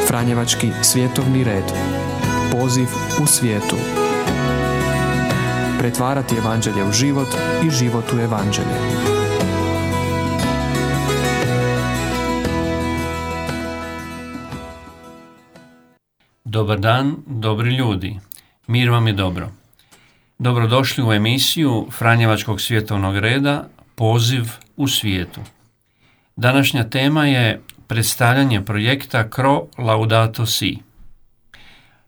Franjevački svjetovni red. Poziv u svijetu. Pretvarati evanđelje u život i život u evanđelje. Dobar dan, dobri ljudi. Mir vam je dobro. Dobrodošli u emisiju Franjevačkog svjetovnog reda Poziv u svijetu. Današnja tema je predstavljanje projekta Cro Laudato Si.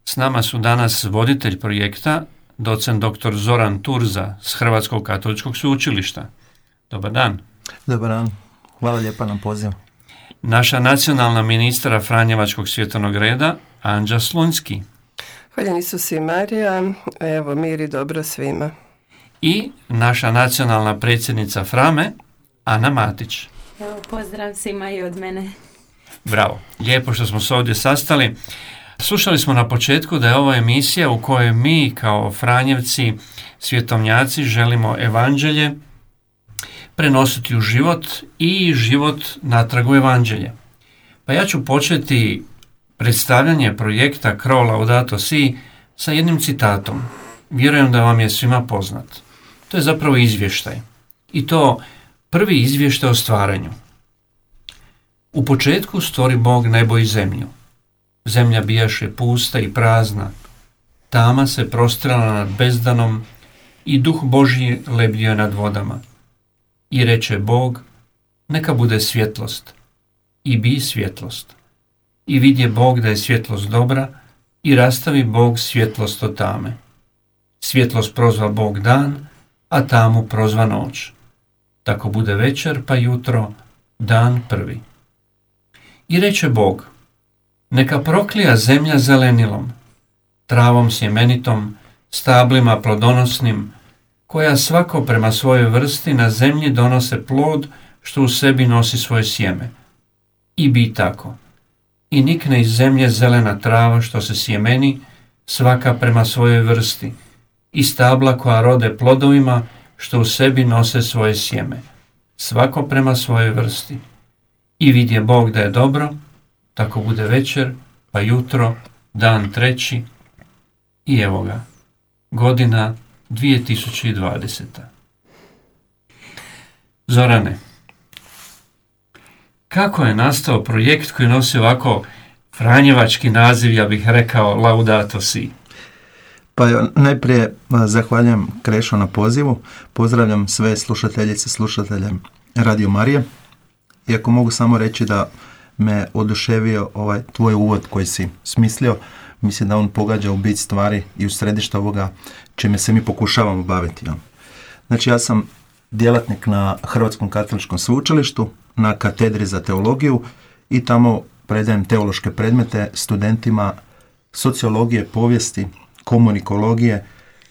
S nama su danas voditelj projekta, docent dr. Zoran Turza s Hrvatskog katoličkog sveučilišta. Dobar dan. Dobar dan. Hvala lijepa na pozivu. Naša nacionalna ministra Franjevačkog svjetovnog reda, Anđa Slunjski. Hvala Isus i Marija, evo mir i dobro svima. I naša nacionalna predsjednica Frame, Ana Matić. Evo, pozdrav svima i od mene. Bravo, lijepo što smo se ovdje sastali. Slušali smo na početku da je ovo emisija u kojoj mi kao Franjevci, svjetovnjaci, želimo evanđelje prenositi u život i život natrag u evanđelje. Pa ja ću početi predstavljanje projekta Cro Laudato Si sa jednim citatom. Vjerujem da vam je svima poznat. To je zapravo izvještaj. I to prvi izvještaj o stvaranju. U početku stvori Bog nebo i zemlju. Zemlja bijaše pusta i prazna. Tama se prostrala nad bezdanom i duh Božji lebdio nad vodama. I reče Bog, neka bude svjetlost. I bi svjetlost. I vidje Bog da je svjetlost dobra i rastavi Bog svjetlost od tame. Svjetlost prozva Bog dan, a tamu prozva noć. Tako bude večer pa jutro, dan prvi. I reče Bog, neka proklija zemlja zelenilom, travom sjemenitom, stablima plodonosnim, koja svako prema svojoj vrsti na zemlji donose plod što u sebi nosi svoje sjeme. I bi tako. I nikne iz zemlje zelena trava što se sjemeni, svaka prema svojoj vrsti, i stabla koja rode plodovima što u sebi nose svoje sjeme, svako prema svojoj vrsti. I vidje Bog da je dobro, tako bude večer, pa jutro, dan treći, i evo ga, godina 2020. Zorane, kako je nastao projekt koji nosi ovako franjevački naziv, ja bih rekao Laudato Si? Pa najprije zahvaljujem Krešo na pozivu, pozdravljam sve slušateljice, slušatelje Radio Marije. Iako mogu samo reći da me oduševio ovaj tvoj uvod koji si smislio, mislim da on pogađa u bit stvari i u središte ovoga čime se mi pokušavamo baviti. Znači ja sam djelatnik na Hrvatskom katoličkom sveučilištu, na katedri za teologiju i tamo predajem teološke predmete studentima sociologije, povijesti, komunikologije,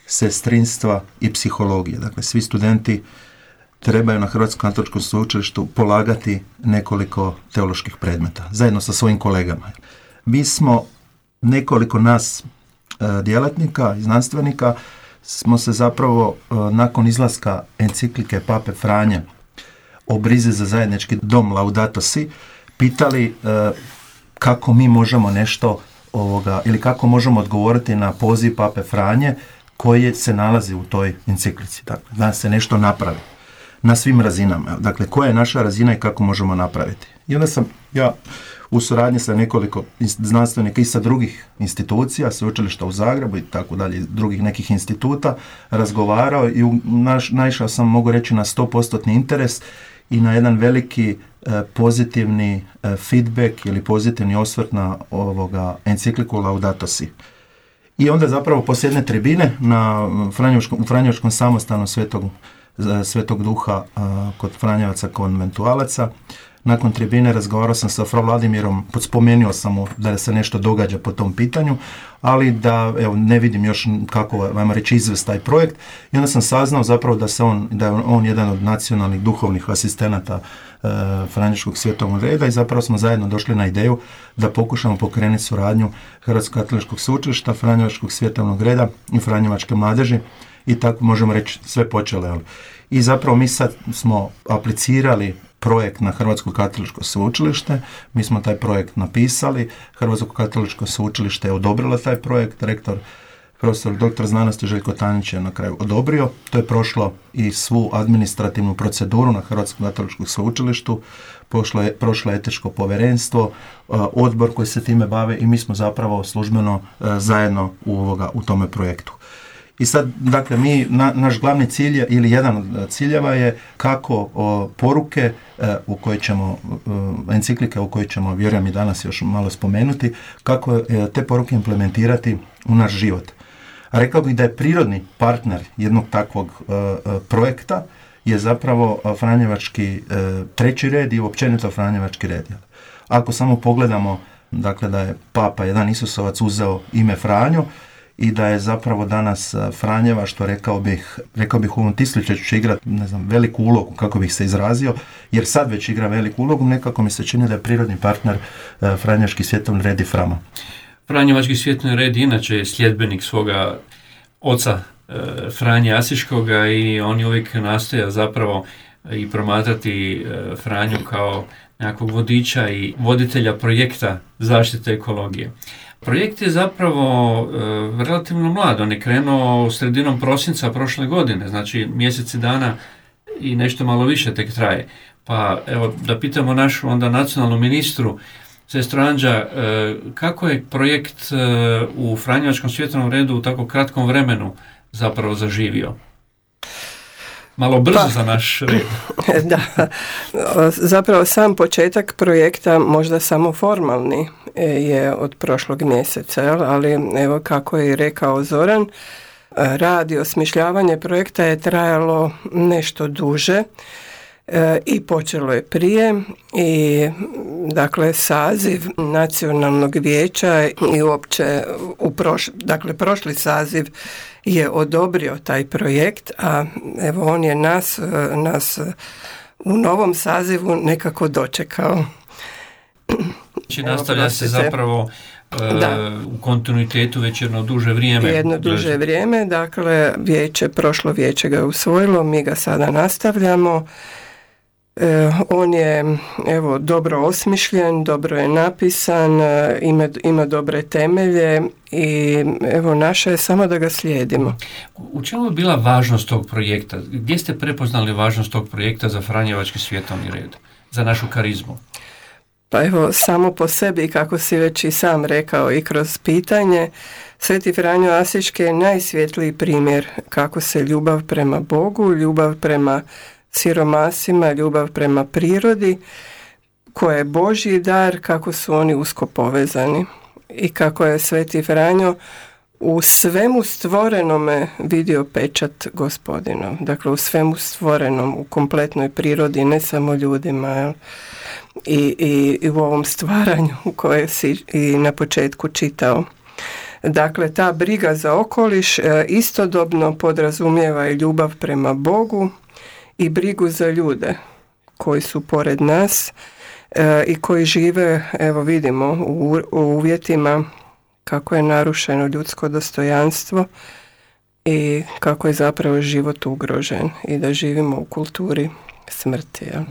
sestrinstva i psihologije. Dakle, svi studenti trebaju na Hrvatskom katoličkom sveučilištu polagati nekoliko teoloških predmeta, zajedno sa svojim kolegama. Mi smo, nekoliko nas djelatnika i znanstvenika, smo se zapravo nakon izlaska enciklike Pape Franje o brizi za zajednički dom Laudato Si pitali kako mi možemo nešto ili kako možemo odgovoriti na poziv Pape Franje koji se nalazi u toj enciklici. Dakle, da se nešto napravi na svim razinama. Dakle, koja je naša razina i kako možemo napraviti. I onda sam ja u suradnji sa nekoliko znanstvenika i sa drugih institucija, sveučilišta u Zagrebu i tako dalje, drugih nekih instituta, razgovarao i naišao sam, mogu reći, na 100% interes i na jedan veliki pozitivni feedback ili pozitivni osvrt na ovoga encikliku Laudato Si. I onda zapravo poslije jedne tribine u Franjevačkom samostanu Svetog Duha kod Franjevaca konventualaca, nakon tribine razgovarao sam sa fra Vladimirom, spomenuo sam mu da se nešto događa po tom pitanju, ali da ne vidim još kako vam reći izvest taj projekt. I onda sam saznao zapravo da je on jedan od nacionalnih duhovnih asistenata Franjevačkog svjetovnog reda i zapravo smo zajedno došli na ideju da pokušamo pokrenuti suradnju Hrvatskog katoličkog sveučilišta, Franjevačkog svjetovnog reda i Franjevačke mladeži i tako možemo reći sve počelo. I zapravo mi sad smo aplicirali projekt na Hrvatsko katoličko sveučilište. Mi smo taj projekt napisali, Hrvatsko katoličko sveučilište je odobrilo taj projekt, rektor profesor dr. znanosti Željko Tanić je na kraju odobrio. To je prošlo i svu administrativnu proceduru na Hrvatskom katoličkom sveučilištu, prošlo je etičko povjerenstvo, odbor koji se time bave i mi smo zapravo službeno zajedno u tome projektu. I sad, dakle, naš glavni cilj ili jedan od ciljeva je kako poruke u koje ćemo, enciklike u koje ćemo, vjerujem i danas još malo spomenuti, kako te poruke implementirati u naš život. A rekao bih da je prirodni partner jednog takvog projekta je zapravo Franjevački treći red i općenito Franjevački red. Ako samo pogledamo, dakle, da je Papa jedan Isusovac uzeo ime Franjo i da je zapravo danas Franjeva, što rekao bih u ovom tisliću će igrati, veliku ulogu, kako bih se izrazio, jer sad već igra veliku ulogu, nekako mi se čini da je prirodni partner Franjevački svjetovni red i Frama. Franjevački svjetovni red inače je sljedbenik svoga oca Franje Asiškoga i on je uvijek nastoja zapravo i promatrati Franju kao nekakvog vodiča i voditelja projekta zaštite ekologije. Projekt je zapravo relativno mlad, on je krenuo sredinom prosinca prošle godine, znači mjeseci dana i nešto malo više tek traje. Pa evo da pitamo našu onda nacionalnu ministru, sestru Anđa, kako je projekt u Franjevačkom svjetovnom redu u tako kratkom vremenu zapravo zaživio? Malo brzo za naš red. Da, zapravo sam početak projekta, možda samo formalni, je od prošlog mjeseca, ali evo kako je rekao Zoran, rad i osmišljavanje projekta je trajalo nešto duže i počelo je prije i dakle saziv nacionalnog vijeća i uopće prošli saziv je odobrio taj projekt, a evo on je nas u novom sazivu nekako dočekao. Znači nastavlja se zapravo u kontinuitetu već jedno duže vrijeme. Jedno duže vrijeme, dakle prošlo vijeće ga je usvojilo, mi ga sada nastavljamo. On je dobro osmišljen, dobro je napisan, ima dobre temelje i naše je samo da ga slijedimo. U čemu je bila važnost tog projekta? Gdje ste prepoznali važnost tog projekta za Franjevački svjetovni red, za našu karizmu? Pa samo po sebi, kako si već i sam rekao i kroz pitanje, Sveti Franjo Asiški je najsvjetliji primjer kako se ljubav prema Bogu, ljubav prema siromasima, ljubav prema prirodi, koja je Božji dar, kako su oni usko povezani i kako je Sveti Franjo u svemu stvorenome vidio pečat Gospodinov. Dakle, u svemu stvorenom, u kompletnoj prirodi, ne samo ljudima, i u ovom stvaranju koje si i na početku čitao. Dakle, ta briga za okoliš istodobno podrazumijeva i ljubav prema Bogu i brigu za ljude koji su pored nas i koji žive, evo vidimo, u uvjetima kako je narušeno ljudsko dostojanstvo i kako je zapravo život ugrožen i da živimo u kulturi smrti. Ja.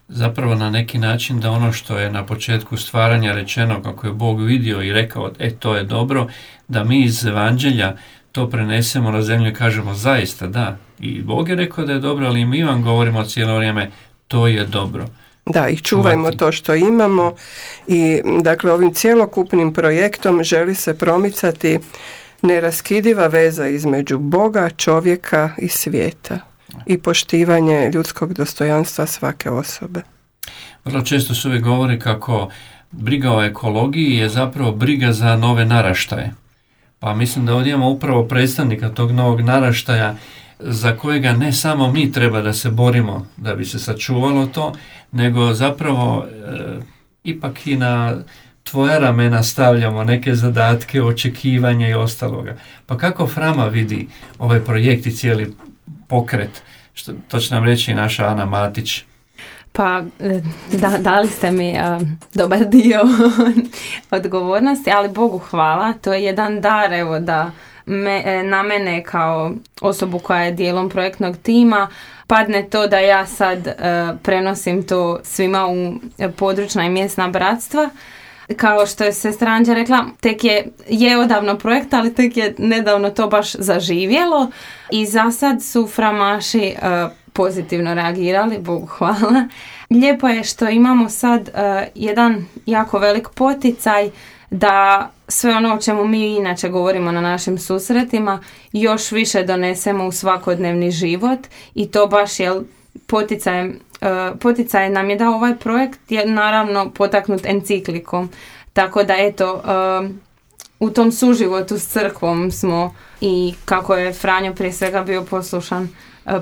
Zapravo na neki način da ono što je na početku stvaranja rečeno kako je Bog vidio i rekao to je dobro, da mi iz Evanđelja to prenesemo na zemlju i kažemo zaista da. I Bog je rekao da je dobro, ali mi vam govorimo cijelo vrijeme to je dobro. Da, i čuvajmo to što imamo i dakle ovim cjelokupnim projektom želi se promicati neraskidiva veza između Boga, čovjeka i svijeta i poštivanje ljudskog dostojanstva svake osobe. Vrlo često se uvijek govori kako briga o ekologiji je zapravo briga za nove naraštaje. Pa mislim da ovdje imamo upravo predstavnika tog novog naraštaja za kojega ne samo mi treba da se borimo da bi se sačuvalo to, nego zapravo ipak i na tvoja ramena stavljamo neke zadatke, očekivanja i ostaloga. Pa kako Frama vidi ovaj projekt i cijeli pokret? To će nam reći i naša Ana Matić. Pa dali ste mi dobar dio odgovornosti, ali Bogu hvala, to je jedan dar, evo da na mene kao osobu koja je dijelom projektnog tima padne to da ja sad prenosim to svima u područna i mjesna bratstva. Kao što je sestra Anđa rekla, tek je odavno projekt, ali tek je nedavno to baš zaživjelo i za sad su framaši pozitivno reagirali, Bogu hvala. Lijepo je što imamo sad jedan jako velik poticaj da sve ono o čemu mi inače govorimo na našim susretima još više donesemo u svakodnevni život i to baš je poticaj nam je dao ovaj projekt, je naravno potaknut enciklikom. Tako da eto, u tom suživotu s crkvom smo i kako je Franjo prije svega bio poslušan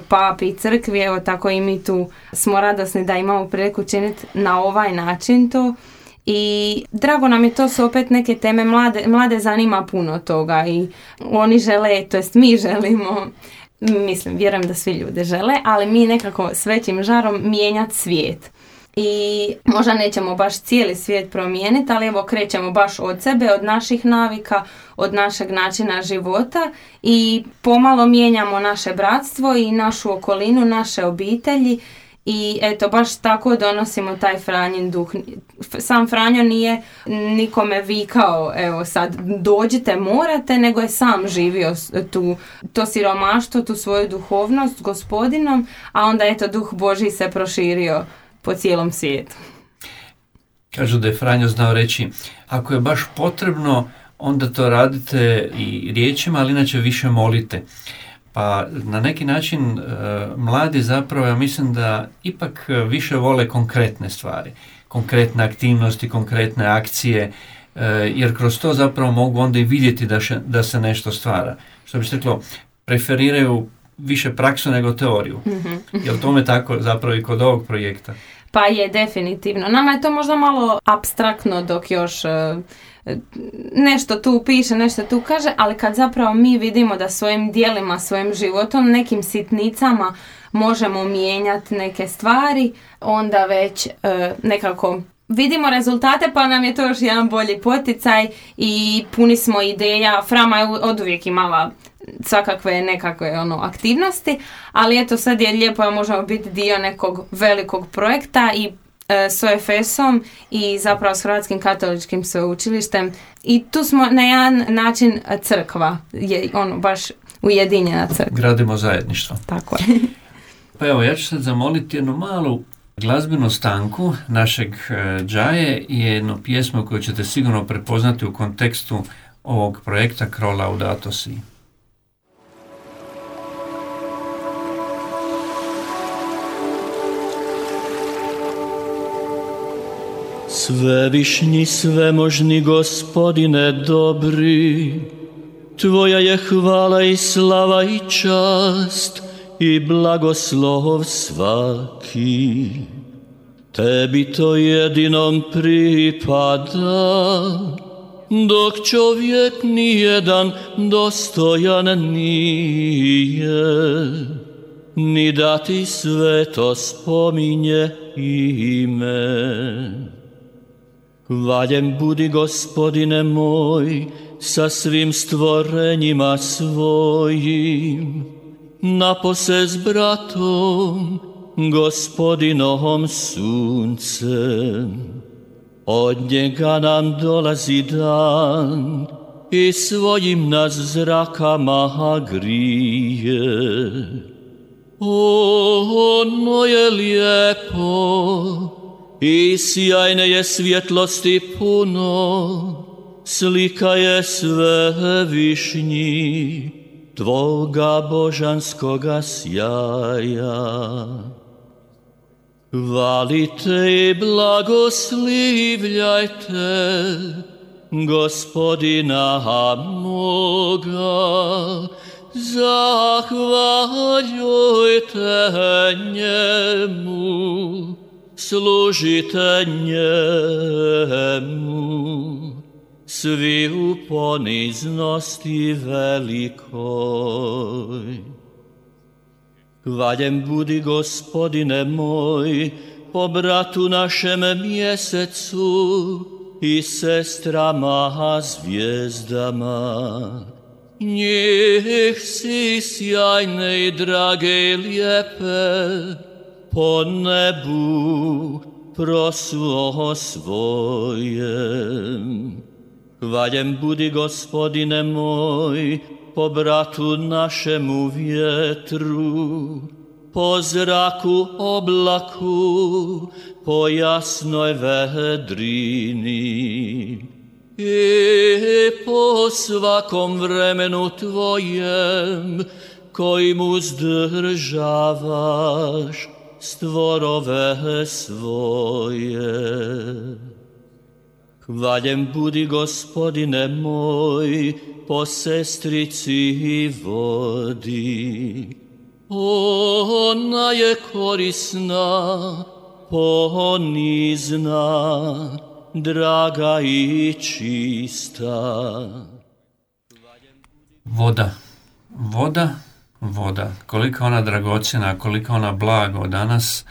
papi i crkvi, evo tako i mi tu smo radosni da imamo priliku činiti na ovaj način to. I drago nam je, to su opet neke teme, mlade zanima puno toga i oni žele, to jest mi želimo, mislim, vjerujem da svi ljudi žele, ali mi nekako s većim žarom mijenjati svijet. I možda nećemo baš cijeli svijet promijeniti, ali evo krećemo baš od sebe, od naših navika, od našeg načina života i pomalo mijenjamo naše bratstvo i našu okolinu, naše obitelji. I eto, baš tako donosimo taj Franjin duh. Sam Franjo nije nikome vikao, evo sad dođite, morate, nego je sam živio to siromaštvo, tu svoju duhovnost s Gospodinom, a onda eto duh Božji se proširio po cijelom svijetu. Kažu da je Franjo znao reći, ako je baš potrebno, onda to radite i riječima, ali inače više molite. Pa na neki način mladi zapravo, ja mislim da ipak više vole konkretne stvari, konkretne aktivnosti, konkretne akcije, jer kroz to zapravo mogu onda i vidjeti da se nešto stvara. Što bi se reklo, preferiraju više praksu nego teoriju. Mm-hmm. Je li tome tako zapravo i kod ovog projekta? Pa je, definitivno. Nama je to možda malo apstraktno dok još nešto tu piše, nešto tu kaže, ali kad zapravo mi vidimo da svojim djelima, svojim životom, nekim sitnicama možemo mijenjati neke stvari, onda već nekako vidimo rezultate, pa nam je to još jedan bolji poticaj i puni smo ideja. Frama je oduvijek imala svakakve nekakve aktivnosti, ali eto sad je lijepo da možemo biti dio nekog velikog projekta i s OFS-om i zapravo s Hrvatskim katoličkim sveučilištem i tu smo na jedan način crkva, je baš ujedinjena crkva. Gradimo zajedništvo. Tako je. Pa evo, ja ću sad zamoliti jednu malu glazbenu stanku našeg džaje i jednu pjesmu koju ćete sigurno prepoznati u kontekstu ovog projekta Cro Laudato Si. Svevišnji, svemožni Gospodine dobri, Tvoja je hvala i slava i čast i blagoslov svaki. Tebi to jedinom pripada, dok čovjek nijedan dostojan nije, ni da ti sveto spominje ime. Hvaljen budi, Gospodine moj, sa svim stvorenjima svojim, napose s bratom, Gospodinovom suncem. Od njega nam dolazi dan i svojim nas zrakama grije. Ono je lijepo i sjajne je svjetlosti puno, slika je svevišnji Tvoga božanskoga sjaja. Hvalite i blagoslivljajte Gospodina moga, zahvaljujte njemu, služite njemu, svi u poniznosti velikoj. Hvaljen budi, Gospodine moj, po bratu našem mjesecu i sestrama zvijezdama. Njih si sjajne i drage i lijepe po nebu prosuo svojem. Hvaljen budi, Gospodine moj, po bratu našemu vjetru, po zraku oblaku, po jasnoj vedrini i po svakom vremenu Tvojem, kojim uzdržavaš stvorove svoje. Hvaljen budi, Gospodine moj, po sestrici i vodi. Ona je korisna, ponizna, draga i čista. Voda. Koliko ona dragocjena, koliko ona blago danas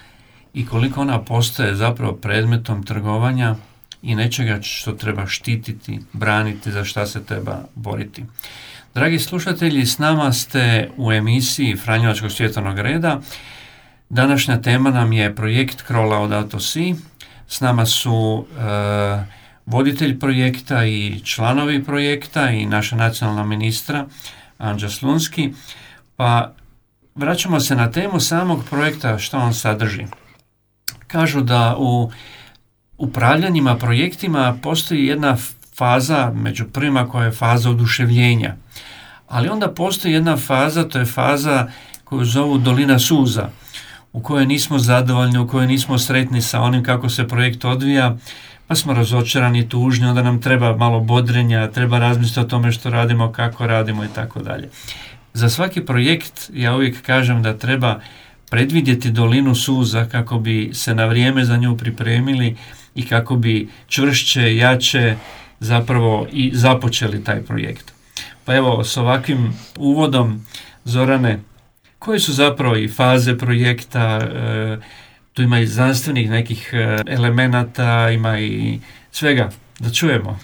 i koliko ona postaje zapravo predmetom trgovanja i nečega što treba štititi, braniti, za šta se treba boriti. Dragi slušatelji, s nama ste u emisiji Franjevačkog svjetovnog reda. Današnja tema nam je projekt Cro Laudato Si. S nama su voditelj projekta i članovi projekta i naša nacionalna ministra Anđa Slunski. Pa vraćamo se na temu samog projekta, što on sadrži. Kažu da u upravljanjima projektima postoji jedna faza među prvima koja je faza oduševljenja. Ali onda postoji jedna faza, to je faza koju zovu dolina suza, u kojoj nismo zadovoljni, u kojoj nismo sretni sa onim kako se projekt odvija, pa smo razočarani, tužni, onda nam treba malo bodrenja, treba razmisliti o tome što radimo, kako radimo i tako dalje. Za svaki projekt ja uvijek kažem da treba predvidjeti dolinu suza kako bi se na vrijeme za nju pripremili i kako bi čvršće, jače zapravo i započeli taj projekt. Pa evo, s ovakvim uvodom, Zorane, koje su zapravo i faze projekta, tu ima i znanstvenih nekih elemenata, ima i svega, da čujemo.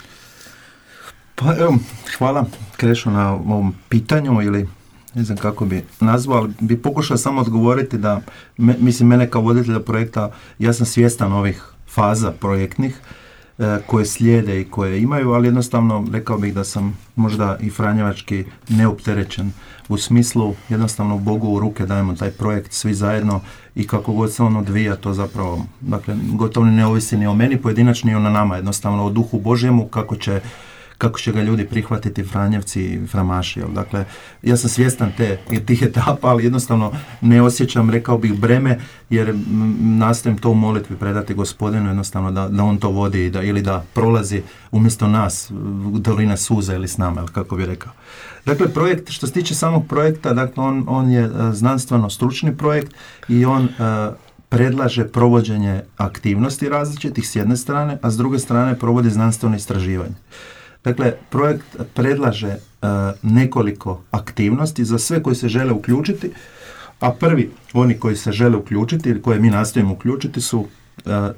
Pa evo, hvala Krešo na ovom pitanju, ili ne znam kako bi nazvao, ali bi pokušao samo odgovoriti da, mene kao voditelja projekta, ja sam svjestan ovih faza projektnih koje slijede i koje imaju, ali jednostavno rekao bih da sam možda i franjevački neopterećen u smislu jednostavno Bogu u ruke dajemo taj projekt svi zajedno i kako god se on odvija, to zapravo, dakle, gotovo ne ovisi ni o meni pojedinačno ni o nama, jednostavno o Duhu Božjemu, kako će ga ljudi prihvatiti, Franjevci i Framaši. Dakle, ja sam svjestan tih etapa, ali jednostavno ne osjećam, rekao bih, breme, jer nastojim to u molitvi predati Gospodinu, jednostavno da on to vodi ili da prolazi umjesto nas dolina suza ili s nama, kako bi rekao. Dakle, projekt, što se tiče samog projekta, dakle, on je znanstveno stručni projekt i on predlaže provođenje aktivnosti različitih s jedne strane, a s druge strane provodi znanstveno istraživanje. Dakle, projekt predlaže nekoliko aktivnosti za sve koji se žele uključiti, a prvi, oni koji se žele uključiti ili koje mi nastojimo uključiti su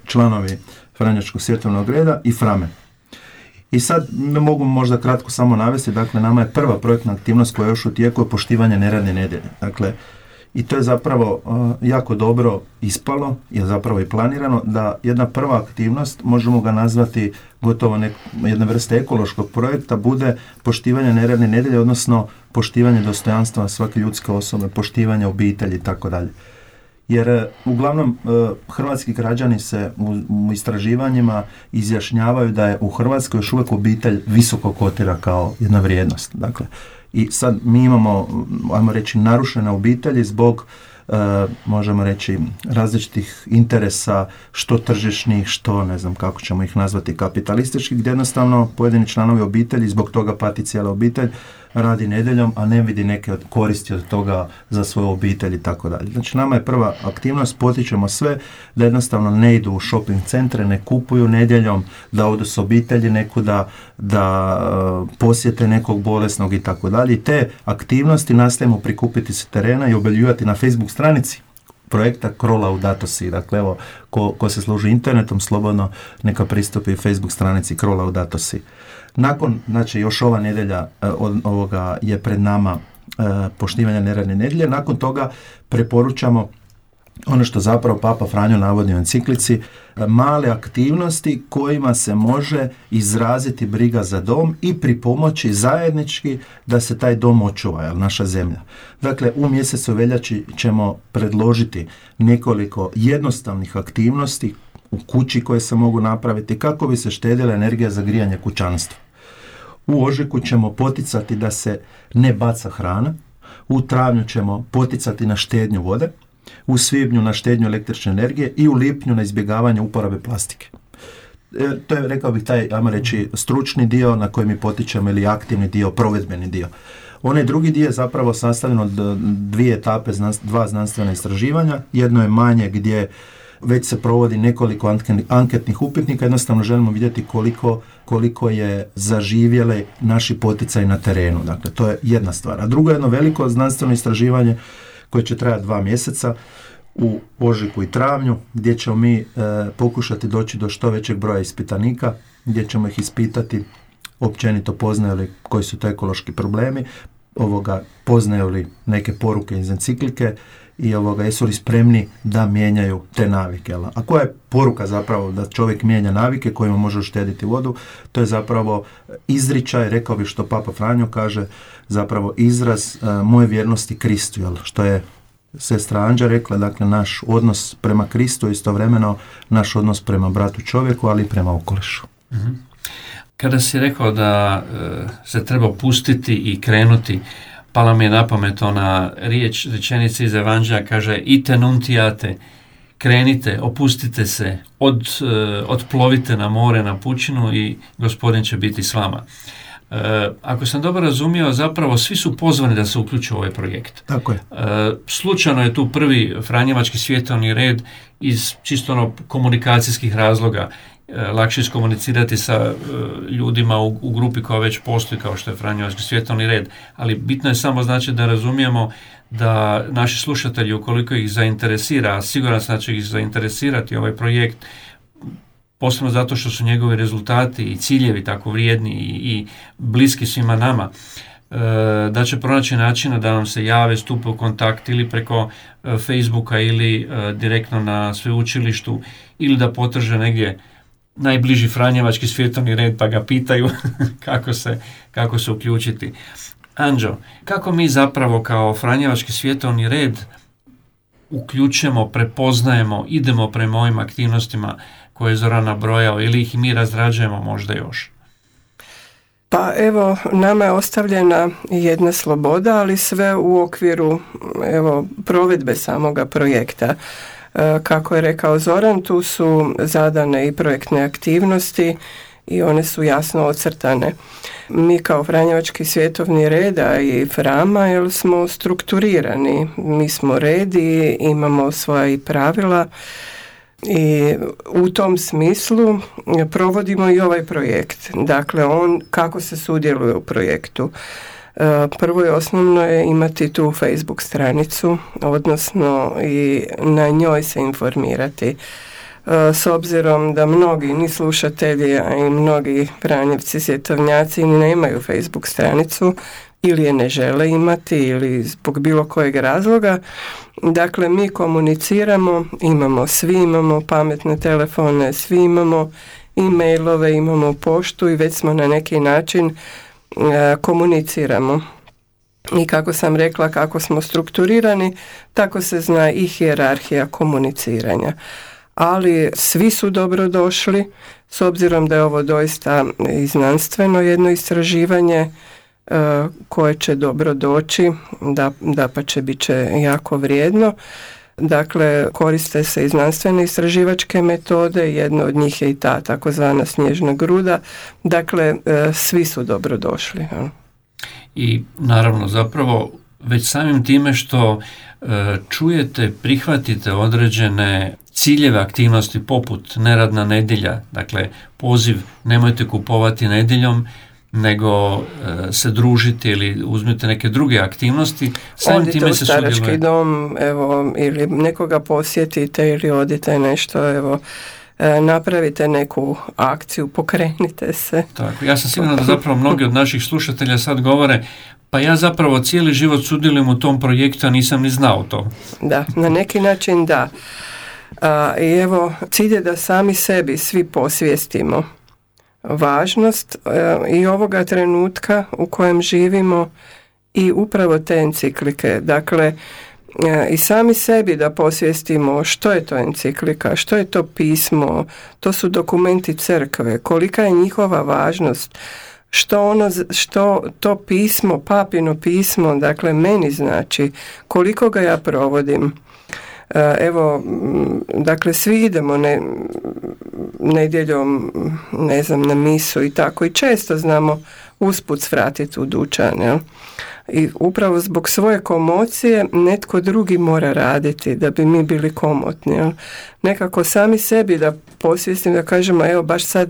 članovi Franjevačkog svjetovnog reda i Frame. I sad mogu možda kratko samo navesti, dakle, nama je prva projektna aktivnost koja je još u tijeku je poštivanje neradne nedjelje. Dakle, i to je zapravo jako dobro ispalo, je zapravo i planirano, da jedna prva aktivnost, možemo ga nazvati gotovo jedna vrsta ekološkog projekta, bude poštivanje neradne nedjelje, odnosno poštivanje dostojanstva svake ljudske osobe, poštivanje obitelji i tako dalje. Jer uglavnom hrvatski građani se u istraživanjima izjašnjavaju da je u Hrvatskoj još uvijek obitelj visoko kotira kao jedna vrijednost. Dakle, i sad mi imamo, ajmo reći, narušene obitelji zbog, možemo reći, različitih interesa, što tržišnih, što ne znam kako ćemo ih nazvati, kapitalističkih, gdje jednostavno pojedini članovi obitelji, zbog toga pati cijela obitelj, radi nedjeljom, a ne vidi neke koristi od toga za svoju obitelj i tako dalje. Znači, nama je prva aktivnost, potičemo sve da jednostavno ne idu u shopping centre, ne kupuju nedjeljom, da odu s obitelji nekuda, da posjete nekog bolesnog i tako dalje. I te aktivnosti nastojimo prikupiti sa terena i objavljivati na Facebook stranici projekta Cro Laudato Si. Dakle, evo, ko se služi internetom, slobodno neka pristupi Facebook stranici Cro Laudato Si. Nakon, znači, još ova nedjelja ovoga je pred nama poštivanja neradne nedjelje. Nakon toga preporučamo ono što zapravo Papa Franjo navodi u enciklici, male aktivnosti kojima se može izraziti briga za dom i pripomoći zajednički da se taj dom očuva, naša zemlja. Dakle, u mjesecu veljači ćemo predložiti nekoliko jednostavnih aktivnosti u kući koje se mogu napraviti kako bi se štedila energija za grijanje kućanstva. U ožujku ćemo poticati da se ne baca hrana, u travnju ćemo poticati na štednju vode, u svibnju na štednju električne energije i u lipnju na izbjegavanje uporabe plastike. To je, rekao bih, taj, ajmo reći, stručni dio na koji mi potičemo ili aktivni dio, provedbeni dio. Onaj drugi dio je zapravo sastavljen od 2 etape, 2 znanstvena istraživanja. Jedno je manje gdje već se provodi nekoliko anketnih upitnika, jednostavno želimo vidjeti koliko je zaživjele naši poticaji na terenu. Dakle, to je jedna stvar. A drugo je jedno veliko znanstveno istraživanje koje će trajati 2 mjeseca u ožujku i travnju, gdje ćemo mi pokušati doći do što većeg broja ispitanika, gdje ćemo ih ispitati općenito poznaju li koji su to ekološki problemi, poznaju li neke poruke iz enciklike i jesu li spremni da mijenjaju te navike. A koja je poruka zapravo da čovjek mijenja navike kojima može uštediti vodu? To je zapravo izričaj, rekao bih što Papa Franjo kaže, zapravo izraz moje vjernosti Kristu, što je sestra Anđa rekla, dakle naš odnos prema Kristu, istovremeno naš odnos prema bratu čovjeku, ali i prema okolišu. Mm-hmm. Kada si rekao da se treba pustiti i krenuti, pala mi je na pamet ona rečenica iz Evanđelja, kaže ite nuntiate, krenite, opustite se, otplovite na more, na pučinu i Gospodin će biti s vama. Ako sam dobro razumio, zapravo svi su pozvani da se uključe u ovaj projekt. Tako je. Slučajno je tu prvi Franjevački svjetovni red iz čisto komunikacijskih razloga. Lakše iskomunicirati sa ljudima u grupi koja već postoji kao što je Franjevački svjetovni red, ali bitno je samo znači da razumijemo da naši slušatelji, ukoliko ih zainteresira, a siguran sam da će ih zainteresirati ovaj projekt, posebno zato što su njegovi rezultati i ciljevi tako vrijedni i bliski svima nama, da će pronaći načina da nam se jave, stupe u kontakt ili preko Facebooka ili direktno na sveučilištu ili da potraže negdje najbliži Franjevački svjetovni red pa ga pitaju kako se uključiti. Anđo, kako mi zapravo kao Franjevački svjetovni red uključujemo, prepoznajemo, idemo prema ovim aktivnostima koje je Zoran nabrojao ili ih mi razrađujemo možda još? Pa evo, nama je ostavljena jedna sloboda, ali sve u okviru provedbe samoga projekta. Kako je rekao Zoran, tu su zadane i projektne aktivnosti i one su jasno ocrtane. Mi kao Franjevački svjetovni red, a i Frama, smo strukturirani. Mi smo red i imamo svoja i pravila i u tom smislu provodimo i ovaj projekt. Dakle, kako se sudjeluje u projektu. Prvo i osnovno je imati tu Facebook stranicu, odnosno i na njoj se informirati. S obzirom da mnogi ni slušatelji, a i mnogi Franjevci, svjetovnjaci nemaju Facebook stranicu ili je ne žele imati ili zbog bilo kojeg razloga. Dakle, mi komuniciramo, svi imamo pametne telefone, svi imamo e-mailove, imamo poštu i već smo na neki način komuniciramo. I kako sam rekla, kako smo strukturirani, tako se zna i hijerarhija komuniciranja. Ali svi su dobrodošli, s obzirom da je ovo doista i znanstveno jedno istraživanje koje će dobro doći, dapače bit će jako vrijedno. Dakle, koriste se i znanstvene istraživačke metode, jedna od njih je i ta takozvana snježna gruda. Dakle, svi su dobrodošli. I naravno, zapravo, već samim time što čujete, prihvatite određene ciljeve aktivnosti poput neradna nedjelja, dakle poziv nemojte kupovati nedjeljom, nego se družiti ili uzmete neke druge aktivnosti, samim time u se starački sudjeluje. dom, evo, ili nekoga posjetite ili odite nešto, evo, napravite neku akciju, pokrenite se. Tako, ja sam siguran da zapravo mnogi od naših slušatelja sad govore, pa ja zapravo cijeli život sudjelujem u tom projektu, a nisam ni znao to. Da, na neki način da. I evo, cilj je da sami sebi svi posvijestimo važnost i ovoga trenutka u kojem živimo i upravo te enciklike. Dakle, i sami sebi da posvijestimo što je to enciklika, što je to pismo, to su dokumenti crkve, kolika je njihova važnost, što to pismo, papino pismo, dakle meni znači, koliko ga ja provodim. Evo, dakle, svi idemo nedjeljom, ne znam, na misu i tako, i često znamo usput svratiti u dućan, jel? I upravo zbog svoje komocije netko drugi mora raditi da bi mi bili komotni, jel? Nekako sami sebi da posvjestim, da kažemo, evo baš sad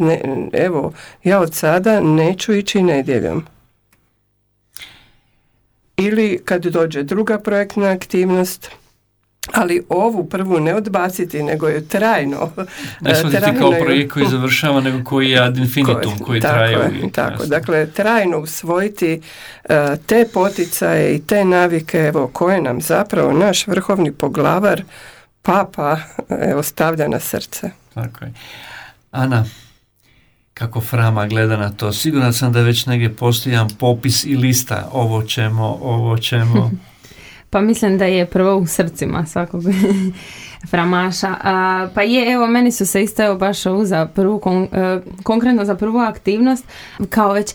evo, ja od sada neću ići nedjeljom. Ili kad dođe druga projektna aktivnost, ali ovu prvu ne odbaciti, nego je trajno. Ne shvatiti kao projekt koji završava, nego koji je ad infinitum, koji traje uvijek. Tako, dakle, trajno usvojiti te poticaje i te navike, evo, koje nam zapravo naš vrhovni poglavar, Papa, evo, stavlja na srce. Tako je. Ana, kako Frama gleda na to? Siguran sam da već negdje postoji jedan popis i lista, ovo ćemo. Pa mislim da je prvo u srcima svakog framaša. Pa je, evo, meni su se isto baš ovu za prvu, konkretno za prvu aktivnost, kao već,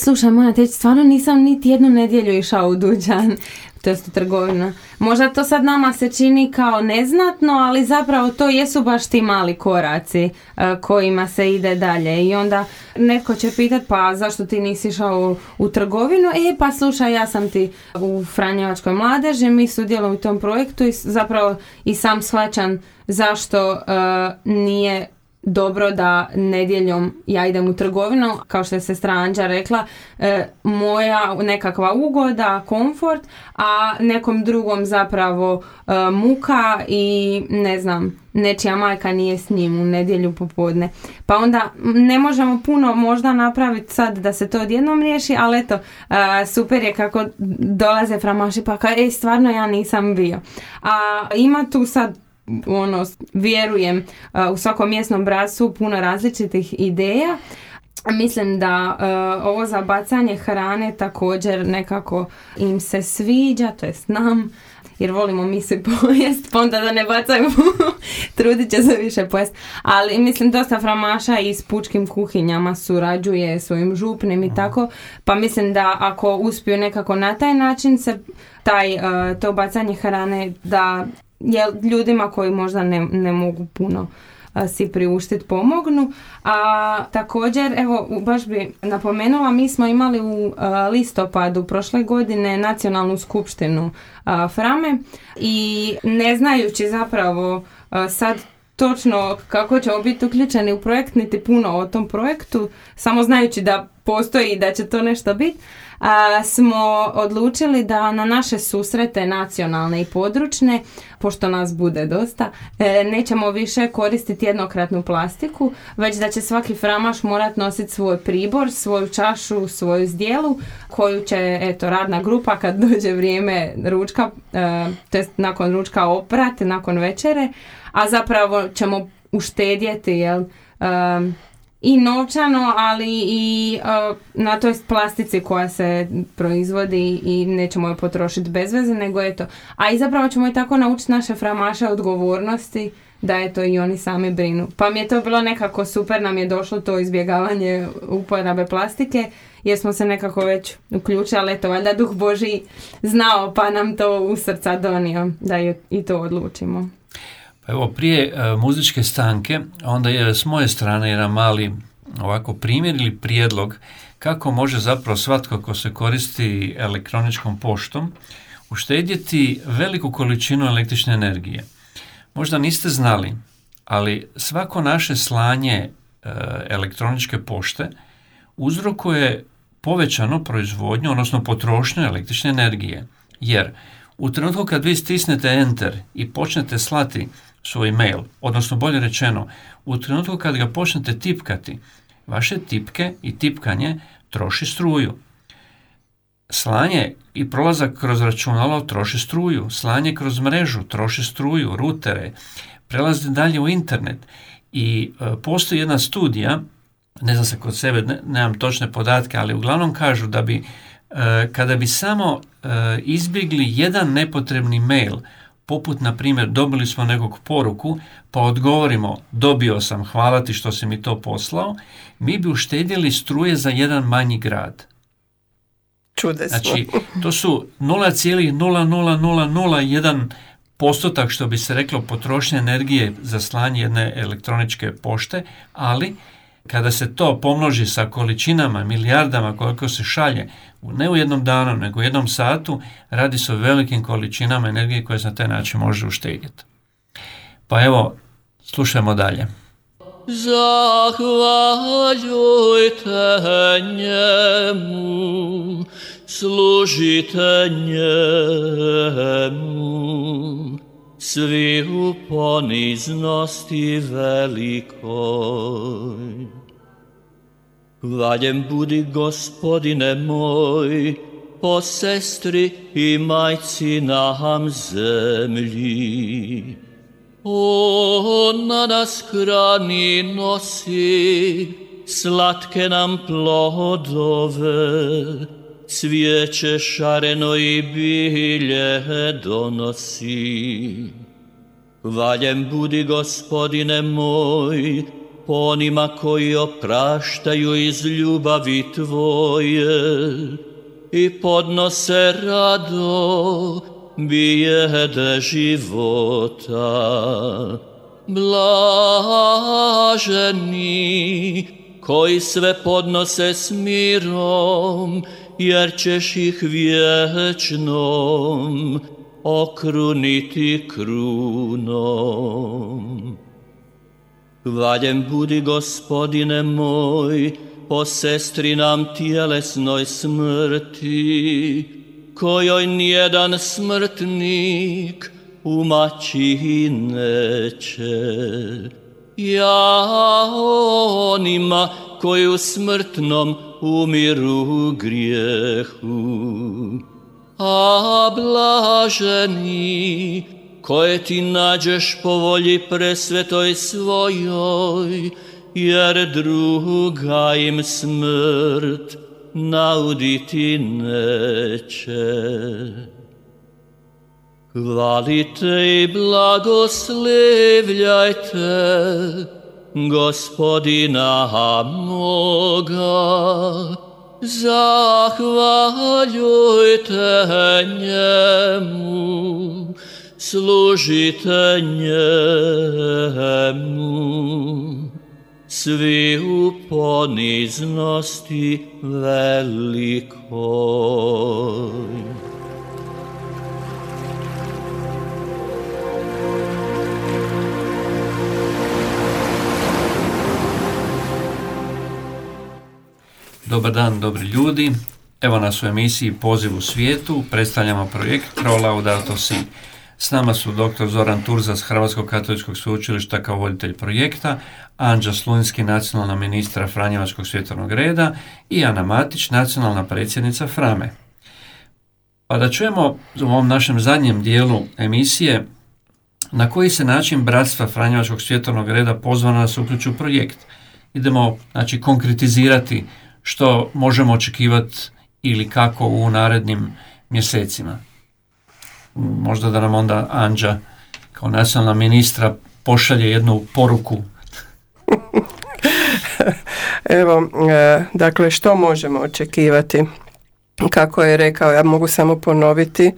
slušaj, moja teći, stvarno nisam niti jednu nedjelju išao u dućan, to jest u trgovinu. Možda to sad nama se čini kao neznatno, ali zapravo to jesu baš ti mali koraci kojima se ide dalje. I onda netko će pitat, pa zašto ti nisi išao u trgovinu? Pa slušaj, ja sam ti u Franjevačkoj mladeži, mi sudjelujemo u tom projektu i zapravo i sam shvaćam zašto nije dobro da nedjeljom ja idem u trgovinu, kao što je sestra Anđa rekla, moja nekakva ugoda, komfort, a nekom drugom zapravo muka i ne znam, nečija majka nije s njim u nedjelju popodne. Pa onda ne možemo puno možda napraviti sad da se to odjednom riješi, ali eto, super je kako dolaze framaši pa kao, stvarno ja nisam bio. A ima tu sad vjerujem u svakom mjesnom bratstvu puno različitih ideja. Mislim da ovo za bacanje hrane također nekako im se sviđa, to jest nam, jer volimo mi se pojest, pa onda da ne bacaju, trudit će se više pojest. Ali mislim dosta framaša i s pučkim kuhinjama surađuje svojim župnim i tako, pa mislim da ako uspiju nekako na taj način se to bacanje hrane da ljudima koji možda ne mogu puno si priuštiti pomognu. A također, evo, baš bi napomenula, mi smo imali u listopadu prošle godine nacionalnu skupštinu Frame i ne znajući zapravo sad točno kako ćemo biti uključeni u projekt, niti puno o tom projektu, samo znajući da postoji i da će to nešto biti, smo odlučili da na naše susrete nacionalne i područne, pošto nas bude dosta, nećemo više koristiti jednokratnu plastiku, već da će svaki framaš morat nositi svoj pribor, svoju čašu, svoju zdjelu, koju će, radna grupa kad dođe vrijeme ručka, to jest nakon ručka oprati, nakon večere, a zapravo ćemo uštedjeti, i novčano, ali i na toj plastici koja se proizvodi i nećemo je potrošiti bez veze, nego eto. A i zapravo ćemo i tako naučiti naše framaše odgovornosti, da eto i oni sami brinu. Pa mi je to bilo nekako super, nam je došlo to izbjegavanje uporabe plastike, jer smo se nekako već uključili, ali eto, valjda Duh Božji znao pa nam to u srca donio da i to odlučimo. Evo, prije muzičke stanke, onda je s moje strane jedan mali ovako primjer ili prijedlog kako može zapravo svatko ko se koristi elektroničkom poštom uštedjeti veliku količinu električne energije. Možda niste znali, ali svako naše slanje elektroničke pošte uzrokuje povećanu proizvodnju, odnosno potrošnju električne energije. Jer u trenutku kad vi stisnete enter i počnete slati svoj mail, odnosno bolje rečeno, u trenutku kad ga počnete tipkati, vaše tipke i tipkanje troši struju. Slanje i prolazak kroz računalo troši struju, slanje kroz mrežu troši struju, rutere, prelazi dalje u internet i postoji jedna studija, ne znam se kod sebe, nemam točne podatke, ali uglavnom kažu da bi kada bi samo izbjegli jedan nepotrebni mail, poput na primjer dobili smo nekog poruku pa odgovorimo dobio sam, hvala ti što si mi to poslao, mi bi uštedjeli struje za jedan manji grad. Čudesno. Znači, to su 0,00001 postotak, što bi se reklo, potrošnje energije za slanje jedne elektroničke pošte, ali kada se to pomnoži sa količinama, milijardama koliko se šalje, ne u jednom danu, nego u jednom satu, radi se o velikim količinama energije koje se na taj način može uštedjeti. Pa evo, slušajmo dalje. Zahvaljujte njemu, služite njemu, svi u poniznosti velikoj. Hvaljen budi Gospodine moj, po sestri i majci nam zemlji. Ona nas hrani nosi, slatke nam plodove, cvijeće šareno i bilje donosi. Hvaljen budi Gospodine moj, po onima koji opraštaju iz ljubavi Tvoje i podnose rado bijede života. Blaženi koji sve podnose s mirom, jer ćeš ih vječnom okruniti krunom. Hvaljen budi Gospodine moj, po sestri nam tjelesnoj smrti, kojoj nijedan smrtnik umaći neće. Ja onima koji u smrtnom umiru grijehu, a blaženi koje ti nađeš po volji presvetoj svojoj, jer druga im smrt nauditi neće. Hvalite i blagoslivljajte Gospodina moga, zahvaljujte njemu, služite njemu, svi u poniznosti velikoj. Dobar dan, dobri ljudi. Evo nas u emisiji Poziv u svijetu. Predstavljamo projekt Pro Laudato Si. S nama su dr. Zoran Turza s Hrvatskog katoličkog sveučilišta kao voditelj projekta, Anđa Slunjski, nacionalna ministra Franjevačkog svjetovnog reda i Ana Matić, nacionalna predsjednica Frame. Pa da čujemo u ovom našem zadnjem dijelu emisije na koji se način bratstva Franjevačkog svjetovnog reda pozvana da se uključi u projekt. Idemo konkretizirati što možemo očekivati ili kako u narednim mjesecima. Možda da nam onda Anđa kao nacionalna ministra pošalje jednu poruku. Evo, dakle, što možemo očekivati? Kako je rekao, ja mogu samo ponoviti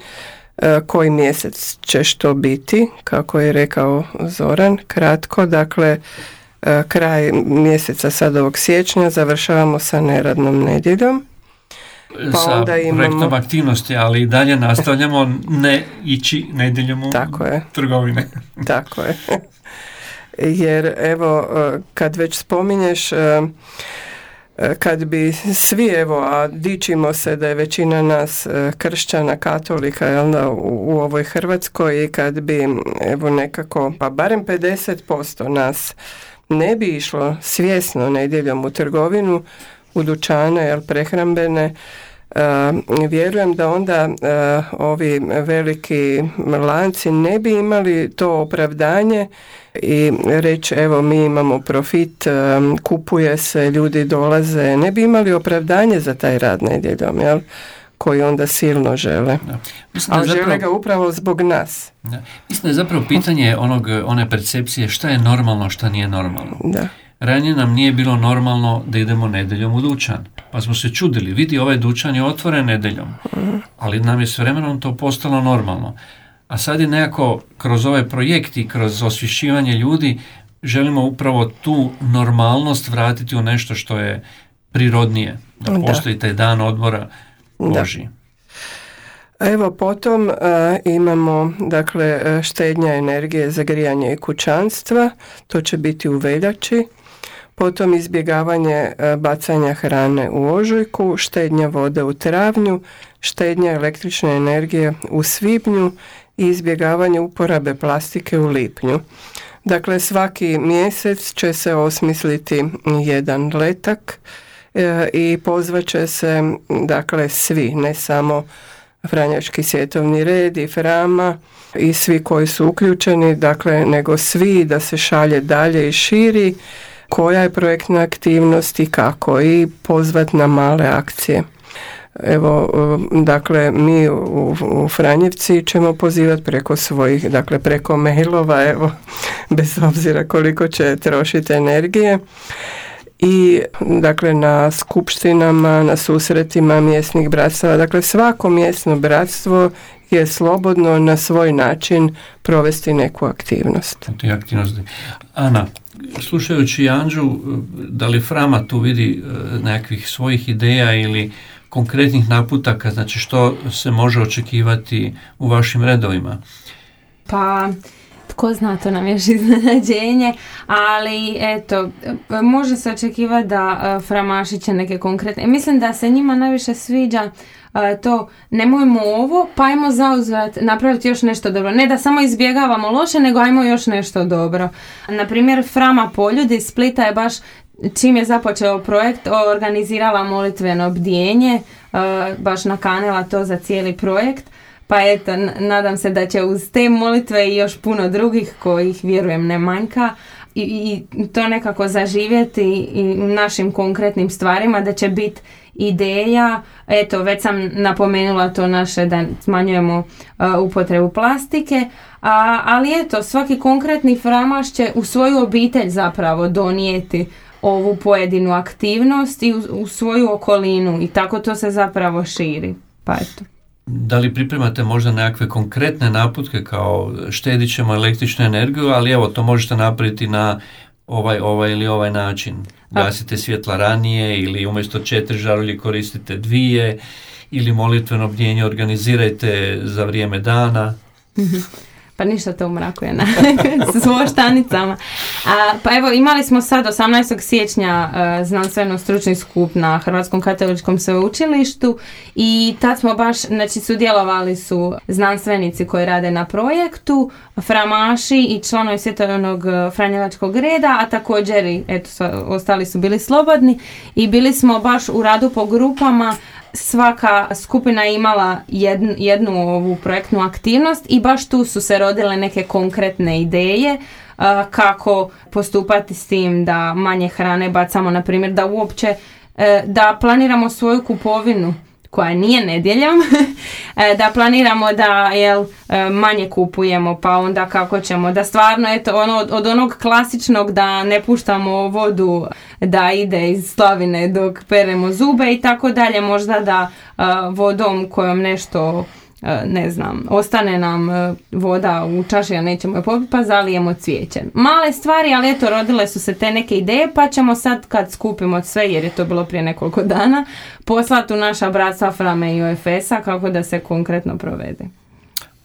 koji mjesec će što biti, kako je rekao Zoran, kratko, dakle, kraj mjeseca sad ovog siječnja završavamo sa neradnom nedjeljom. Pa sa projektom aktivnosti, ali i dalje nastavljamo ne ići nedjeljom u trgovine. Tako je. Jer evo, kad već spominješ kad bi svi, evo, a dičimo se da je većina nas kršćana, katolika, jel da, u ovoj Hrvatskoj, i kad bi, evo, nekako, pa barem 50% nas ne bi išlo svjesno nedjeljom u trgovinu, u dućane, jel, prehrambene, vjerujem da onda ovi veliki lanci ne bi imali to opravdanje i reći, evo, mi imamo profit, kupuje se, ljudi dolaze, ne bi imali opravdanje za taj rad nedjeljom, jel, koji onda silno žele. A žele ga upravo zbog nas. Da. Mislim da je zapravo pitanje one percepcije šta je normalno, šta nije normalno. Da. Ranije nam nije bilo normalno da idemo nedjeljom u dućan. Pa smo se čudili, vidi, ovaj dućan je otvoren nedjeljom. Ali nam je s vremenom to postalo normalno. A sad je nekako kroz ovaj projekt i kroz osvješćivanje ljudi želimo upravo tu normalnost vratiti u nešto što je prirodnije. Da postoji taj dan odmora Božji. Evo, potom imamo, dakle, štednja energije za grijanje i kućanstva, to će biti u veljači. Potom izbjegavanje bacanja hrane u ožujku, štednja vode u travnju, štednja električne energije u svibnju i izbjegavanje uporabe plastike u lipnju. Dakle, svaki mjesec će se osmisliti jedan letak i pozvaće se, dakle, svi, ne samo Franjevački svjetovni red i Frama i svi koji su uključeni, dakle, nego svi, da se šalje dalje i širi koja je projektna aktivnost i kako, i pozvat na male akcije. Evo, dakle, mi u Franjevci ćemo pozivati preko svojih, dakle, preko mailova, evo, bez obzira koliko će trošiti energije. I, dakle, na skupštinama, na susretima mjesnih bratstava, dakle, svako mjesno bratstvo je slobodno na svoj način provesti neku aktivnost. Ana, slušajući Anđu, da li Frama tu vidi nekakvih svojih ideja ili konkretnih naputaka, znači što se može očekivati u vašim redovima? Pa, tko zna, to nam još iznenađenje, ali eto, može se očekivati da Framaši će neke konkretne, mislim da se njima najviše sviđa to, nemojmo ovo, pa ajmo zauzvrat napraviti još nešto dobro. Ne da samo izbjegavamo loše, nego ajmo još nešto dobro. Naprimjer, Frama Poljud iz Splita je baš, čim je započeo projekt, organizirala molitveno bdjenje, baš nakanila to za cijeli projekt. Pa eto, nadam se da će uz te molitve i još puno drugih kojih, vjerujem, ne manjka, i to nekako zaživjeti i u našim konkretnim stvarima, da će biti ideja, eto, već sam napomenula to naše da smanjujemo upotrebu plastike, ali eto, svaki konkretni Framaš će u svoju obitelj zapravo donijeti ovu pojedinu aktivnost i u svoju okolinu, i tako to se zapravo širi. Pa eto. Da li pripremate možda nekakve konkretne naputke kao štedit ćemo električnu energiju, ali evo, to možete napraviti na ovaj ili ovaj način. Gasite svjetla ranije, ili umjesto 4 žarulje koristite 2, ili molitveno bdjenje organizirajte za vrijeme dana. Pa ništa to u mraku je s voštanicama. Pa evo, imali smo sad 18. siječnja znanstveno-stručni skup na Hrvatskom katoličkom sveučilištu i tad smo baš, znači, sudjelovali su znanstvenici koji rade na projektu, Framaši i članovi Svjetovnog Franjevačkog reda, a također i ostali su bili slobodni, i bili smo baš u radu po grupama. Svaka skupina je imala jednu ovu projektnu aktivnost i baš tu su se rodile neke konkretne ideje kako postupati s tim da manje hrane bacamo, na primjer da uopće da planiramo svoju kupovinu koja nije nedjeljom, da planiramo da manje kupujemo, pa onda kako ćemo, da stvarno od onog klasičnog da ne puštamo vodu da ide iz slavine dok peremo zube i tako dalje, možda da vodom kojom nešto, ne znam, ostane nam voda u čaši, a nećemo je popiti, pa zalijemo cvijeće. Male stvari, ali eto, rodile su se te neke ideje, pa ćemo sad, kad skupimo sve, jer je to bilo prije nekoliko dana, poslati u naša bratstva Frame i OFS-a kako da se konkretno provede.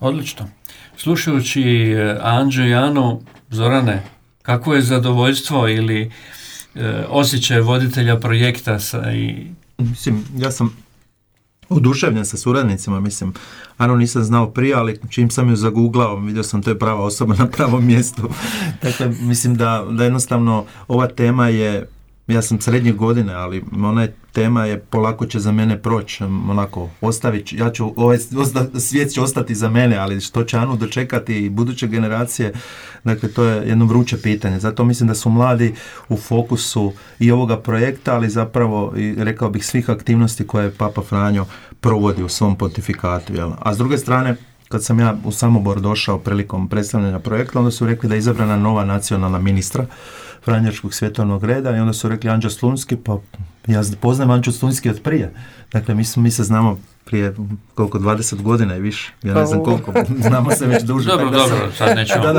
Odlično. Slušajući Anđu i Anu, Zorane, kako je zadovoljstvo ili osjećaj voditelja projekta Mislim, ja sam oduševljen sa suradnicima, mislim, Anu nisam znao prije, ali čim sam ju zagooglao, vidio sam to je prava osoba na pravom mjestu. Dakle, mislim da jednostavno ova tema je, ja sam srednjih godine, ali ona tema je polako će za mene proći, onako, ostavit, ja ću, svijet će ostati za mene, ali što će Anu dočekati i buduće generacije, dakle, to je jedno vruće pitanje. Zato mislim da su mladi u fokusu i ovoga projekta, ali zapravo, i rekao bih, svih aktivnosti koje Papa Franjo provodi u svom pontifikatu. Jel? A s druge strane, kad sam ja u Samobor došao prilikom predstavljanja projekta, onda su rekli da je izabrana nova nacionalna ministra Franjevačkog svjetovnog reda i onda su rekli Anđeo Slunski, pa ja poznajem Anđeo Slunski od prije. Dakle, mi se znamo prije koliko, 20 godina i više. Ja ne znam koliko, znamo se već duže. Dobro, sad nećemo.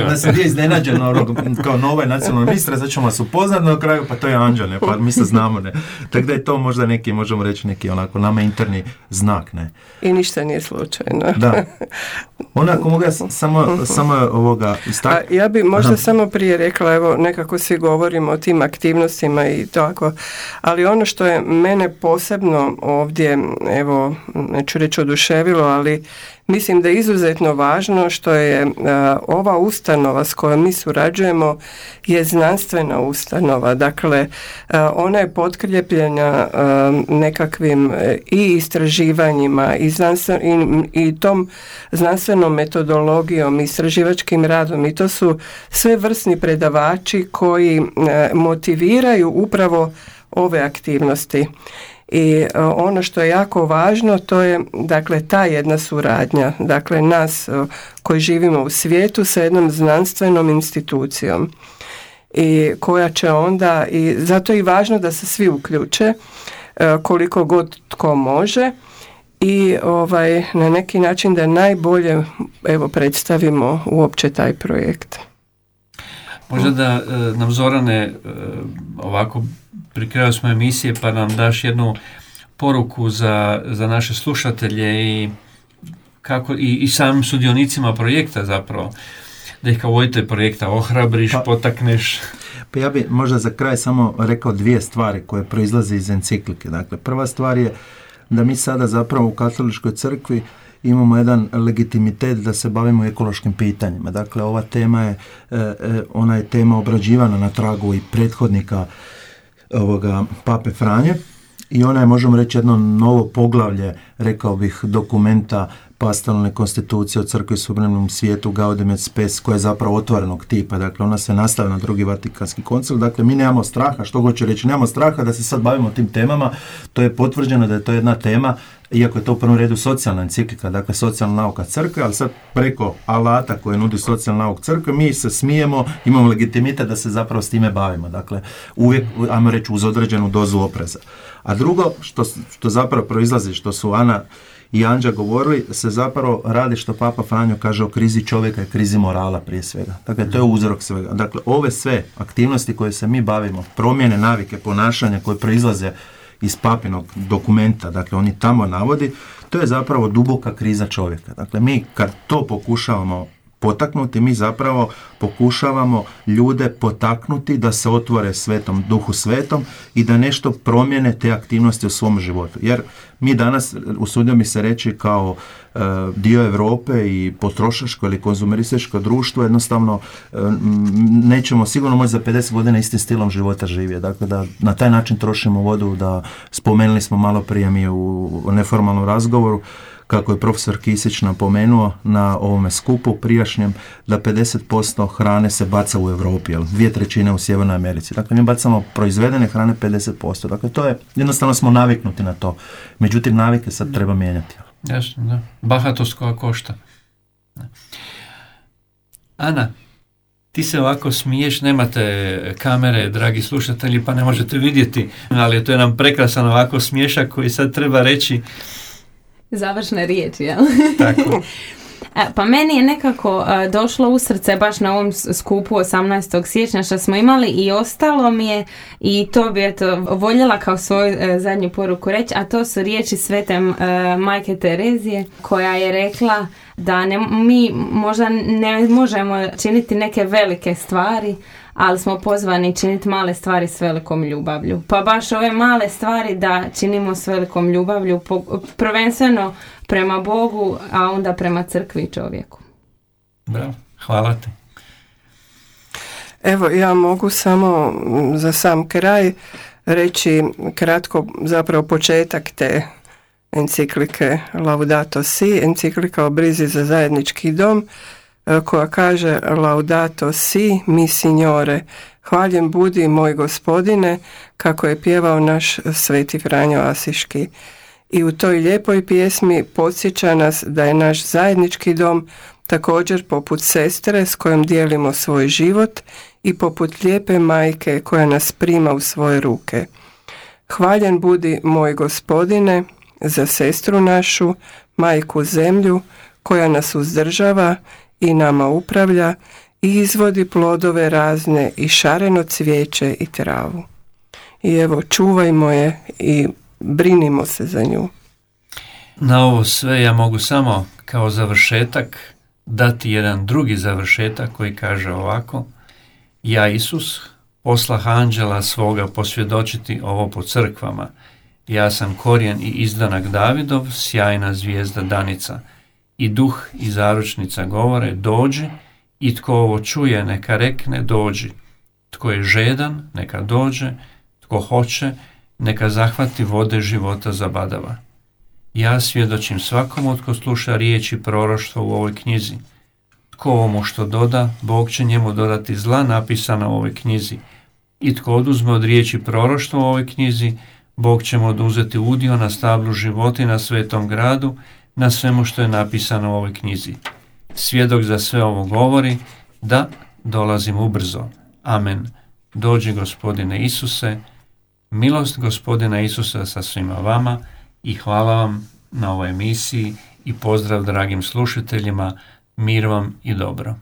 Da sam bio iznenađen kao nova nacionalna ministra, sad ćemo vas upoznat na kraju, pa to je Anđeo, ne, pa mi se znamo, ne. Tako da je to možda neki, možemo reći, neki onako nama interni znak, ne. I ništa nije slučajno. Da. Onako mogu ja samo ovoga istaknuti. Ja bi možda samo prije rekla, evo, nekako svi govorimo o tim aktivnostima i tako, ali ono što je mene posebno ovdje, evo, neću reći oduševilo, ali mislim da je izuzetno važno što je ova ustanova s kojom mi surađujemo je znanstvena ustanova. Dakle, ona je potkrijepljena nekakvim i istraživanjima i tom znanstvenom metodologijom, istraživačkim radom, i to su sve vrsni predavači koji motiviraju upravo ove aktivnosti. I ono što je jako važno, to je, dakle, ta jedna suradnja, dakle, nas koji živimo u svijetu sa jednom znanstvenom institucijom i koja će onda, i zato je i važno da se svi uključe koliko god tko može i na neki način da najbolje, evo, predstavimo uopće taj projekt. Možda da nam, Zorane, ovako pri kraju smo emisije, pa nam daš jednu poruku za naše slušatelje i samim sudionicima projekta zapravo, da ih kao voditelj projekta ohrabriš, potakneš. Pa ja bi možda za kraj samo rekao dvije stvari koje proizlaze iz enciklike. Dakle, prva stvar je da mi sada zapravo u Katoličkoj crkvi imamo jedan legitimitet da se bavimo ekološkim pitanjima. Dakle, ova tema je, ona je tema obrađivana na tragu i prethodnika ovoga Pape Franje i ona je, možemo reći, jedno novo poglavlje, rekao bih, dokumenta pastoralne konstitucije o crkvi u suvremenom svijetu Gaudium et Spes, koja je zapravo otvorenog tipa. Dakle, ona se nastavlja na drugi Vatikanski koncil. Dakle, mi nemamo straha, što hoću reći, nemamo straha da se sad bavimo tim temama. To je potvrđeno da je to jedna tema, iako je to u prvom redu socijalna enciklika, dakle socijalna nauka crkve, ali sad preko alata koje nudi socijalna nauka crkve, mi se smijemo, imamo legitimitet da se zapravo s time bavimo. Dakle, uvijek, ajmo reći, uz određenu dozu opreza. A drugo, što zapravo proizlazi, što su Ana i Anđa govorili, se zapravo radi, što Papa Franjo kaže, o krizi čovjeka i krizi morala prije svega. Dakle, to je uzrok svega. Dakle, ove sve aktivnosti koje se mi bavimo, promjene navike, ponašanja koje proizlaze iz papinog dokumenta, dakle, oni tamo navodi, to je zapravo duboka kriza čovjeka. Dakle, mi kad to pokušavamo potaknuti, mi zapravo pokušavamo ljude potaknuti da se otvore svetom, duhu svetom i da nešto promijene te aktivnosti u svom životu. Jer mi danas, usudio mi se reći, kao dio Europe i potrošačko ili konzumerističko društvo, jednostavno nećemo sigurno moći za 50 godina istim stilom života živjeti. Dakle, da na taj način trošimo vodu, da spomenuli smo malo prije mi u neformalnom razgovoru, kako je profesor Kisić napomenuo na ovome skupu prijašnjem, da 50% hrane se baca u Europi, 2/3 u Sjevernoj Americi. Dakle, mi bacamo proizvedene hrane 50%. Dakle, to je, jednostavno smo naviknuti na to. Međutim, navike sad treba mijenjati. Jasno, da. Bahatost koja košta. Ana, ti se ovako smiješ, nemate kamere, dragi slušatelji, pa ne možete vidjeti, ali to je nam prekrasan ovako smiješak koji sad treba reći. Završne riječi, jel? Tako. Pa meni je nekako došlo u srce baš na ovom skupu 18. siječnja što smo imali i ostalo mi je, i to bi voljela kao svoju zadnju poruku reći, a to su riječi svete majke Terezije, koja je rekla da mi možda ne možemo činiti neke velike stvari, ali smo pozvani činiti male stvari s velikom ljubavlju. Pa baš ove male stvari da činimo s velikom ljubavlju, prvenstveno prema Bogu, a onda prema crkvi i čovjeku. Bravo, hvala ti. Evo, ja mogu samo za sam kraj reći kratko zapravo početak te enciklike Laudato Si, enciklika o brizi za zajednički dom, koja kaže Laudato Si, mi signore, hvaljen budi moj gospodine, kako je pjevao naš sveti Franjo Asiški. I u toj lijepoj pjesmi podsjeća nas da je naš zajednički dom također poput sestre s kojom dijelimo svoj život i poput lijepe majke koja nas prima u svoje ruke. Hvaljen budi moj gospodine za sestru našu, majku zemlju, koja nas uzdržava i nama upravlja i izvodi plodove razne i šareno cvijeće i travu. I evo, čuvajmo je i brinimo se za nju. Na ovo sve ja mogu samo kao završetak dati jedan drugi završetak koji kaže ovako: ja, Isus, poslah anđela svoga posvjedočiti ovo po crkvama. Ja sam korijen i izdanak Davidov, sjajna zvijezda danica. I duh i zaručnica govore, dođi, i tko ovo čuje neka rekne, dođi. Tko je žedan, neka dođe, tko hoće, neka zahvati vode života zabadava. Ja svjedočim svakomu tko sluša riječi proroštva u ovoj knjizi. Tko ovomu što doda, Bog će njemu dodati zla napisana u ovoj knjizi. I tko oduzme od riječi proroštva u ovoj knjizi, Bog će mu oduzeti udio na stablu života i na svetom gradu, na svemu što je napisano u ovoj knjizi. Svjedok za sve ovo govori, da, dolazim ubrzo. Amen. Dođi Gospodine Isuse, milost Gospodina Isusa sa svima vama i hvala vam na ovoj emisiji i pozdrav dragim slušateljima, mir vam i dobro.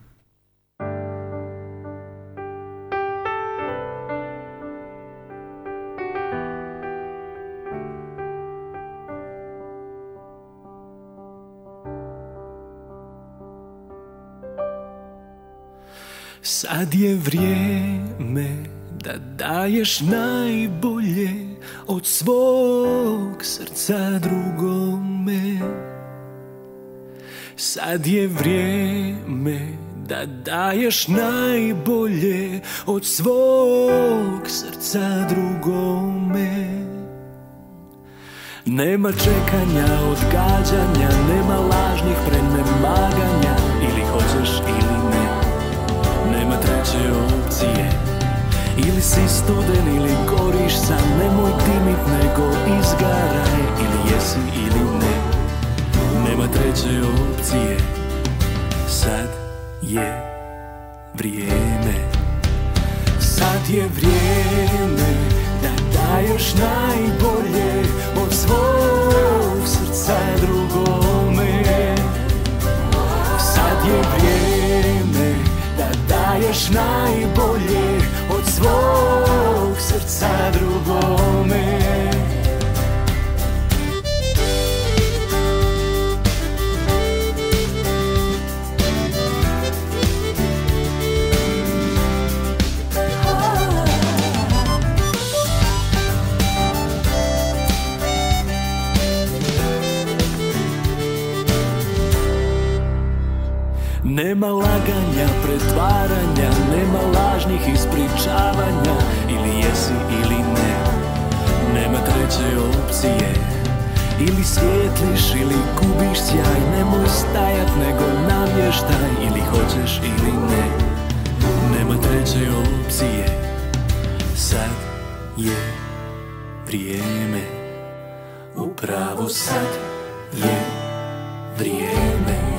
Sad je vrijeme da daješ najbolje od svog srca drugome. Sad je vrijeme da daješ najbolje od svog srca drugome. Nema čekanja, odgađanja, nema lažnih prenemaganja, ili hoćeš ili ne. Nema treće opcije, ili si studen ili goriš sam, nemoj dimit nego izgaraj, ili jesi ili ne. Nema treće opcije, sad je vrijeme. Sad je vrijeme da daješ najbolje od svog srca drugome. Sad je vrijeme da daješ najbolje od svog srca drugome. Nema laganja, pretvaranja, nema lažnih ispričavanja, ili jesi ili ne. Nema treće opcije, ili svijetliš ili gubiš sjaj, nemoj stajat nego namještaj, ili hoćeš ili ne. Nema treće opcije, sad je vrijeme, upravo sad je vrijeme.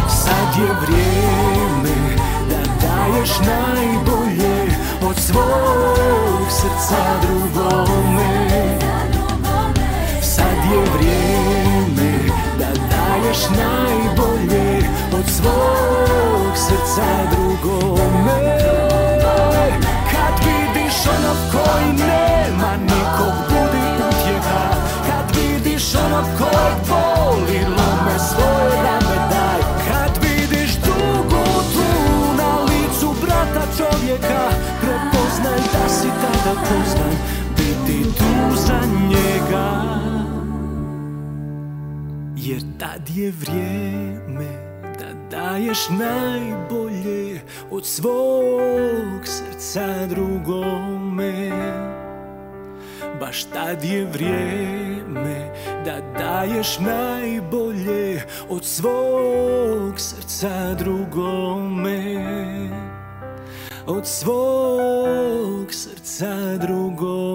Sad je vrijeme da daješ najbolje od svog srca drugome. Sad je vrijeme da daješ najbolje od svog srca drugome. Kad vidiš onog koji nema nikog, budi utjeha. Kad vidiš onog kojeg boli, lome svoje rame daj. Kad vidiš tugu tu na licu brata čovjeka, tad je vrijeme da daješ najbolje od svog srca drugome. Baš tad je vrijeme da daješ najbolje od svog srca drugome. Od svog srca drugome.